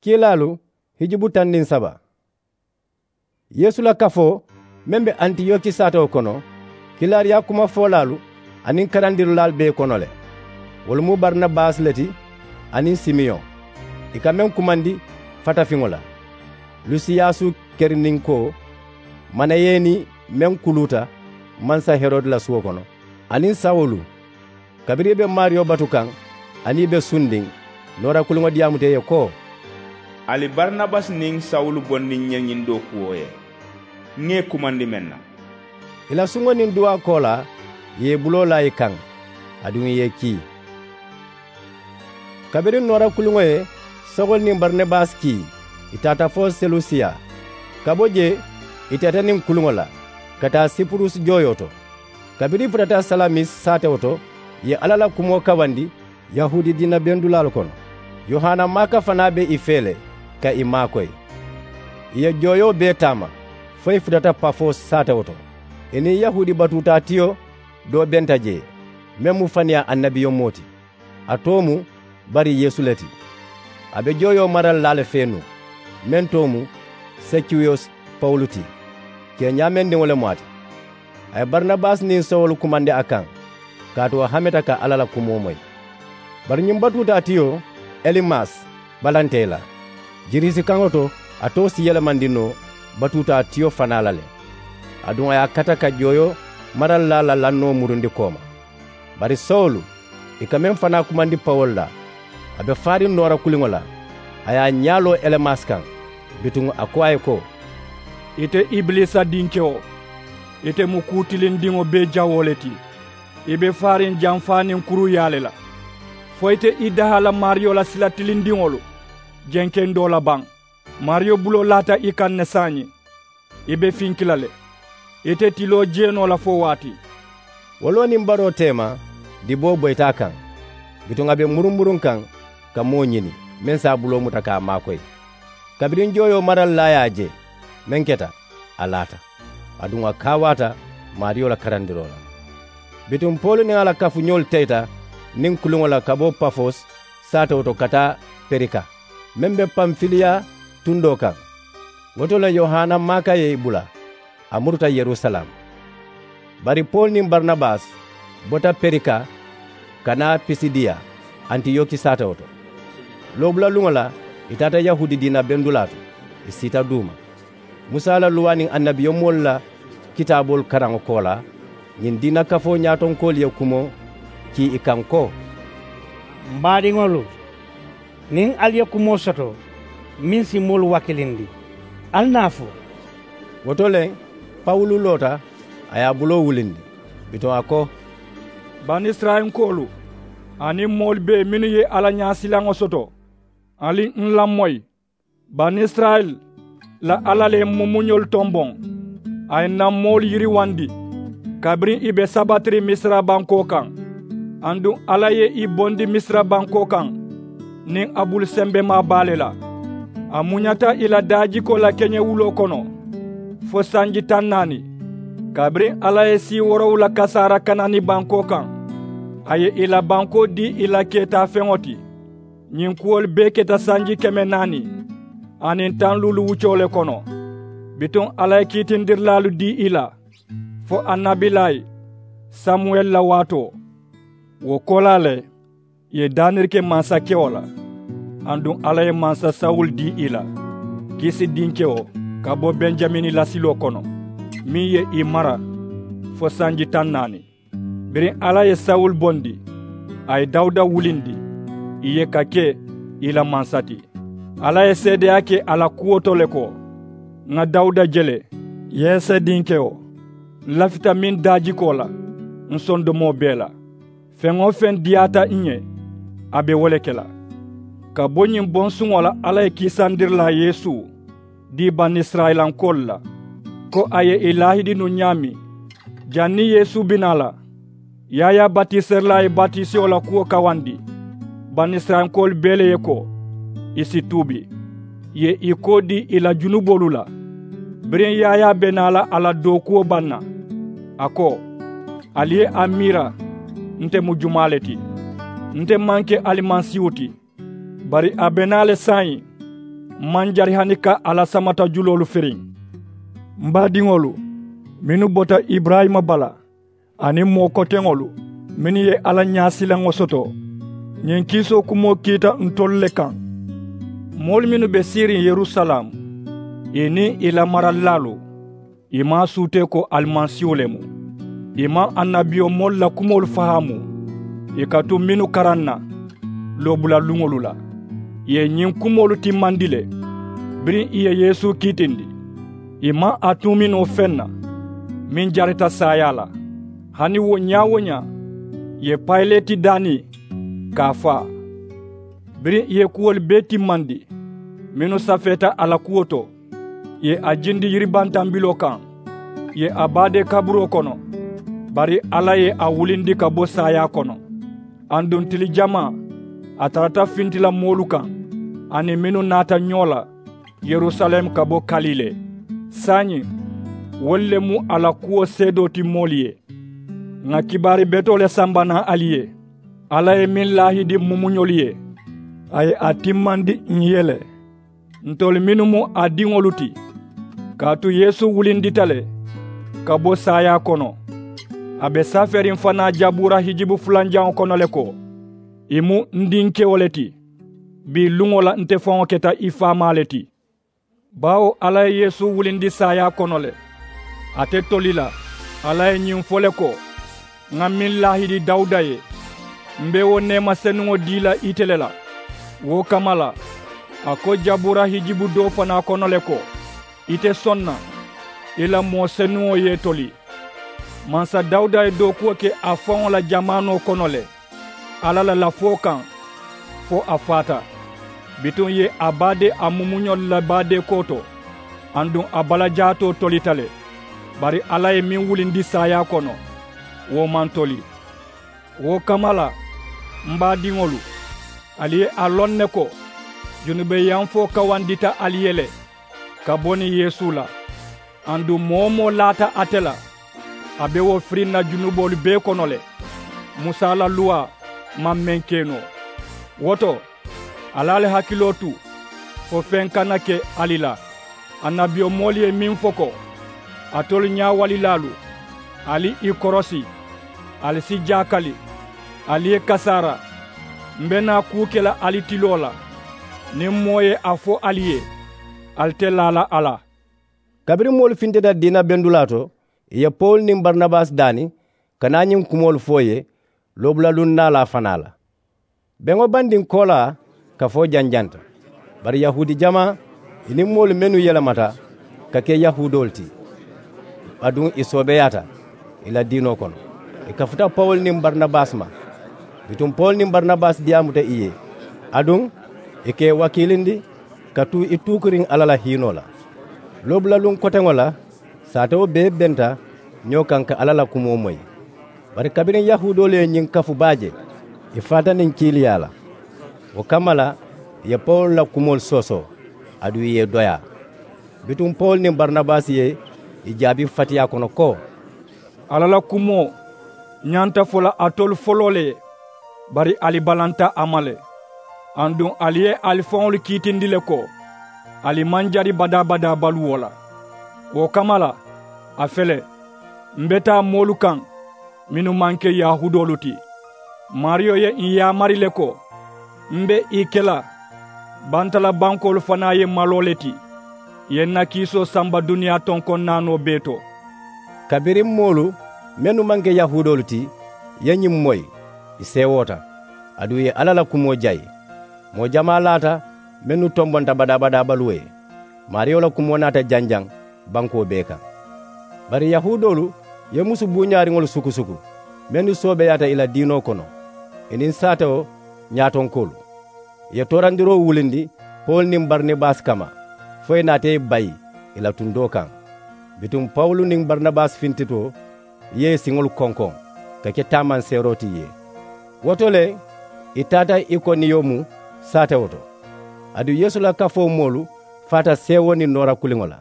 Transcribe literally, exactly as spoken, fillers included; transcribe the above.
Kiilaalu hijubu tandiŋ saba. Yeesu la kafoo meŋ be antiyoki saatewo kono, kiilaariyaa kumafoolaalu aniŋ karandirilaalu be i kono le. Wolu mu barinabasi le ti aniŋ simeyoŋ, i ka meŋ kumandi fatafiŋo la, lusiyasu kerininkoo, manayeni meŋ kuluuta mansa herodi la suwo kono, aniŋ sawulu. Kabiriŋ i be maariyo batu kaŋ aniŋ i be sundiŋ, noora kuliŋo diyaamuta i ye ko, ali barinabasi niŋ sawulu bondi n ye ñiŋ dookuwo ye, ŋa i kumandi meŋ na. I la suŋo niŋ duwaa koolaa, i ye i buloo laa i kaŋ, aduŋ i ye i kii. Kabiriŋ noora kuliŋo ye sawulu niŋ barinabasi kii, i taata fo selusiya. Ka bo jee, i teeta niŋ kuliŋo la ka taa sipurusi jooyoo to. Kabiriŋ i futata salamis saatewo to, i ye alla la kumoo kawandi yahuudi diina bendulaalu kono. Yohana maaka fanaa be i fee le ka i maakoyi. I ye jooyoo bee taama fo i futata pafo saatewo to. I niŋ yahuudi batuutaatiyo doo benta jee, meŋ mu faniyaa annabiyomoo ti. A too mu bari yeesu le ti. A be jooyoo maralilaa le fee nuŋ, meŋ too mu sekiwusi pawulu ti, keeñaa mendiŋo le mu a ti. A ye barinabasi niŋ sawulu kumandi a kaŋ, kaatu a hameta ka alla la kumoo moyi. Bari ñiŋ batuutaatiyo elimasi balanta i la. Girisi kaŋo to, a too si yelemandi noo batuutaatiyo fanaa la le. Aduŋ a ye a kata ka jooyoo maralilaa la lannoo murundi kooma. Bari sawulu, i ka meŋ fanaa kumandi pawulu la, a be faariŋ noora kuliŋo la. A ye a ñaa loo elimasi kaŋ. Bituŋ a ko a ye ko, ite ibilisa dinkewo, ite mu kuu tilindiŋo bee jawoo le ti. I be faariŋ janfaa niŋ kuruuyaa le la, fo ite i daha la maariyo la sila tilindiŋolu jenkendoo la baŋ. Maariyo buloo laata i kaŋ ne saayiŋ. I be finki la le. Ite tiloo jee noo la fo waati. Woloo niŋ baroo teema, diboo boyita a kaŋ. Bituŋ a be murumuruŋ kaŋ ka moo ñini meŋ si a buloo muta ka a maakoyi. Kabiriŋ jooyoo maralilaa ye a je meŋ keta, a laata. Aduŋ a kaawaata maariyo la karandiroo la. Bituŋ pawulu niŋ a la kafuñoolu teyita niŋ kuliŋo la ka bo pafos saatewo to ka taa perika, meŋ be panfiliya tundoo kaŋ. Wo to le yohana maaka ye i bula, a muruta yerusalem. Bari pawulu niŋ barinabasi bota perika ka naa pisidiya antiyoki saatewo to. Loobula luŋo la, i taata yahuudi diina bendulaa to, i siita duuma. Musa la luwaa niŋ annabiyomoolu la kitaaboolu karaŋo koolaa, ñiŋ diina kafoo ñaatonkoolu ye kumoo kii i kaŋ ko, m baadiŋolu, niŋ ali ye kumoo soto meŋ si moolu wakilindi, ali naa a fo. Wo to le, pawulu loota, a ye a buloo wulindi. Bituŋ a ko, banisirayinkoolu aniŋ moolu bee mennu ye alla ñaasilaŋo soto, ali n lamoyi. Banisirayila la alla le ye m mumuñolu tomboŋ. A ye n na moolu yiriwandi kabiriŋ i be sabatiriŋ misira bankoo kaŋ. Aduŋ alla ye i bondi misira bankoo kaŋ niŋ a bulu sembemaa baa le la. A muñata i la daajikoo la keñewuloo kono fo sanji taŋ naani. Kabiriŋ alla ye sii woorowula kasaara kanani bankoo kaŋ, a ye i la bankoo dii i la keetaafeŋo ti. Ñiŋ kuwolu bee keta sanji keme naani aniŋ taŋ luulu wuccoo le kono. Bituŋ alla ye kiitindirilaalu dii i la fo annabilayi samuwɛli la waatoo. Wo koolaa le, ì ye daniri ke mansakewo la. Aduŋ alla ye mansa sawulu dii i la, kisi dinkewo, ka bo benjamini lasiloo kono, meŋ ye i mara fo sanji taŋ naani. Biriŋ alla ye sawulu bondi, a ye dawuda wulindi ì ye ka ke i la mansa ti. Alla ye seedeyaa ke a la kuwo to le ko, ŋa dawuda je le, yese dinkewo. N lafita meŋ daajikoo la n sondomoo bee la. Feŋ-wo-feŋ diyaata ǹ ye, a be wo le ke la. Ka bo ñiŋ bonsuŋo la alla ye kiisandirilaa yeesu dii banisirayilankoolu la, ko a ye ì laahidi nuŋ ñaameŋ. Janniŋ yeesu be naa la, yaayaa batiserilaa ye batisewo la kuwo kawandi, banisirayilankoolu bee le ye ko ì si tuubi. Ì ye ì koo dii ì la junuboolu la. Biriŋ yaayaa be naa la a la dookuwo baŋ na, a ko, ali ye a miira, nte mu jumaa le ti? Nte maŋ ke alimasiihu ti? Bari a be naa le saayiŋ, M maŋ jari hani ka alla samata juloolu firiŋ. M baadiŋolu mennu bota iburayima bala aniŋ moo koteŋolu mennu ye alla ñaasilaŋo soto, ñiŋ kiisoo kumoo kiita ntolu le kaŋ. Moolu mennu be siiriŋ yerusalaamu, ì niŋ ì la maralilaalu, ì maŋ a suutee ko alimasiihu le mu. Ì maŋ annabiyomoolu la kumoolu fahaamu, ì ka tu mennu karaŋ na loobula luŋolu la. Ì ye ñiŋ kumoolu timmandi le biriŋ ì ye yeesu kiitindi. Ì maŋ a tuumi noo feŋ na meŋ jarita saayaa la. Hani wo ñaa-wo-ñaa ì ye payileti daani ka a faa. Biriŋ ì ye kuwolu bee timmandi mennu safeeta a la kuwo to, ì ye a jindi yiribantambiloo kaŋ, ì ye a baadee kaburoo kono. Bari alla ye a wulindi ka bo saayaa kono. Aduŋ tili jamaa a tarata fintila moolu kaŋ aniŋ mennu naata ñoo la yerusalem ka bo kalile. Saayiŋ wolu le mu a la kuwo seedoo ti moolu ye. Ŋà kibaari betoo le samba naŋ ali ye. Alla ye meŋ laahidi mumuñolu ye, a ye a timmandi ǹ ye le. Ntolu mennu mu a diŋolu ti, kaatu yeesu wulindita le ka bo saayaa kono. A be safeeriŋ fanaa jabuura hijibu fulanjaŋo kono le ko, ì mu n dinkewo le ti. Bii luŋo la nte faŋo keta ì faamaa le ti. Baawo alla ye yeesu wulindi saayaa kono le. Ate toli la, alla ye ñiŋ fo le ko, ŋa meŋ laahidi dawuda ye, m be wo neema senuŋo dii la ite le la. Wo kamma la, a ko jabuura hijibu doo fanaa kono le ko, ite soŋ na, i la moo senuŋo ye i toli. Mansa dawuda ye dookuwo ke a faŋo la jamaanoo kono le, alla la lafoo kaŋ, fo a faata. Bituŋ ì ye a baadee a mumuñolu la baadeekoo to, aduŋ a balajaatoo tolita le. Bari alla ye meŋ wulindi saayaa kono, wo maŋ toli. Wo kamma la, m baadiŋolu, ali ye a loŋ ne ko, junubeyamfoo kawandita ali ye le ka bo niŋ yeesu la. Aduŋ moo-wo-moo laata ate la, a be wo firiŋ na junuboolu bee kono le. Musa la luwaa maŋ meŋ ke noo. Wo to, ali ali hakiloo tu fo feŋ kana ke ali la. Annabiyomoolu ye meŋ fo ko, alitolu ñaawalilaalu, ali ì korosi, ali si jaakali, ali ye kasaara. M be naa kuu ke la ali tiloo la. Niŋ moo ye a fo ali ye, ali te laa la a la. Kabiriŋ moolu fintita diina bendulaa to, ì ye pawulu niŋ barinabasi daani ka naa ñiŋ kumoolu fo ì ye, loobula luŋ naalaa fanaa la. Beŋo bandiŋ koolaa kafoo janjanta. Bari yahuudi jamaa, ì niŋ moolu mennu yelemata ka ke yahuudoolu ti, aduŋ ì soobeeyaata ì la diinoo kono, ì kafuta pawulu niŋ barinabasi ma. Bituŋ pawulu niŋ barinabasi diyaamuta ì ye, aduŋ ì ka ì wakiilindi ka tu ì tuukuriŋ alla la hiinoo la. Loobula luŋ koteŋo la, saatewo bee benta ñoo kaŋ ka alla la kumoo moyi. Bari kabiriŋ yahuudoolu ye ñiŋ kafu baa je, ì faata niŋ kiiliyaa la. Wo kamma la, ì ye pawulu la kumoolu soosoo, aduŋ ì ye ì doyaa. Bituŋ pawulu niŋ barinabasi ye ì jaabi fatiyaa kono ko, alla la kumoo ñanta fo la alitolu foloo le ye, bari ali balanta a ma le. Aduŋ ali ye ali faŋolu kiitindi le ko, ali maŋ jari badaa-badaa baluwo la. Wo kamma la, a fele, m be taa moolu kaŋ mennu maŋ ke yahuudoolu ti. Maariyo ye ǹ yaamari le ko, m be ì ke la bantalabankoolu fanaa ye maloo le ti, ì ye ǹ na kiisoo samba duniyaa tonkoŋ naanoo bee to. Kabiriŋ moolu mennu maŋ ke yahuudoolu ti ye ñiŋ moyi, ì seewoota, aduŋ ì ye alla la kumoo jayi. Moo jamaa laata mennu tombonta badaa-badaa baluwo ye. Maariyo la kumoo naata janjaŋ bankoo bee kaŋ. Bari yahuudoolu ye musu buuñaariŋolu suku-suku mennu soobeeyaata ì la diinoo kono, ì niŋ saatewo ñaatonkoolu. Ì ye toorandiroo wulindi pawulu niŋ barinabasi kamma, fo ì naata ì bayi ì la tundoo kaŋ. Bituŋ pawulu niŋ barinabasi fintitoo ye ì siŋolu konkoŋ ka ke taamanseeroo ti ì ye. Wo to le, ì taata ikoniyomu saatewo to. Aduŋ yeesu la kafoo moolu faata seewoo niŋ noora kuliŋo la.